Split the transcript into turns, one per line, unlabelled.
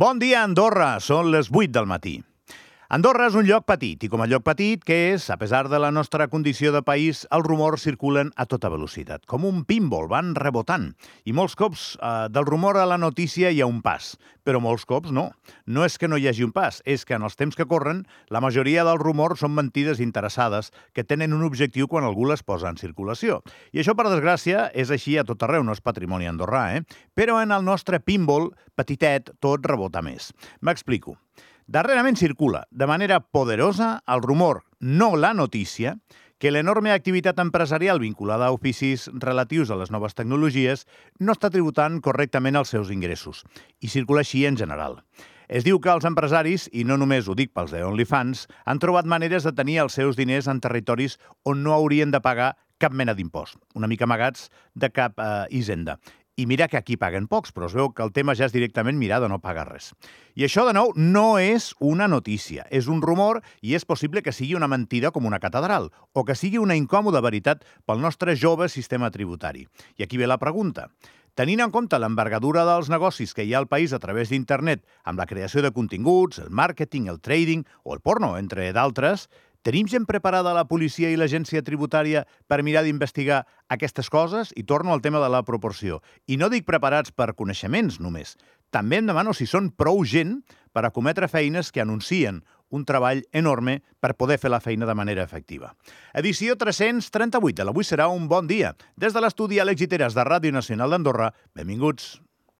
Bon dia, Andorra! Són les 8 del matí. Andorra és un lloc petit, i com a lloc petit que és, a pesar de la nostra condició de país, els rumors circulen a tota velocitat. Com un pinball, van rebotant. I molts cops del rumor a la notícia hi ha un pas. Però molts cops no. No és que no hi hagi un pas, és que en els temps que corren, la majoria dels rumors són mentides interessades que tenen un objectiu quan algú les posa en circulació. I això, per desgràcia, és així a tot arreu, no és patrimoni andorrà, Però en el nostre pinball, petitet, tot rebota més. M'explico. Darrerament circula, de manera poderosa, el rumor, no la notícia, que l'enorme activitat empresarial vinculada a oficis relatius a les noves tecnologies no està tributant correctament els seus ingressos, i circula així en general. Es diu que els empresaris, i no només ho dic pels de OnlyFans, han trobat maneres de tenir els seus diners en territoris on no haurien de pagar cap mena d'impost, una mica amagats de cap hisenda. I mira que aquí paguen pocs, però es veu que el tema ja és directament mirar de no pagar res. I això, de nou, no és una notícia, és un rumor i és possible que sigui una mentida com una catedral o que sigui una incòmoda veritat pel nostre jove sistema tributari. I aquí ve la pregunta. Tenint en compte l'envergadura dels negocis que hi ha al país a través d'internet, amb la creació de continguts, el màrqueting, el trading o el porno, entre d'altres, tenim gent preparada a la policia i l'agència tributària per mirar d'investigar aquestes coses? I torno al tema de la proporció. I no dic preparats per coneixements només. També em demano si són prou gent per acometre feines que anuncien un treball enorme per poder fer la feina de manera efectiva. Edició 338 de l'Avui serà un bon dia. Des de l'estudi Àlex Giteras de Ràdio Nacional d'Andorra, benvinguts.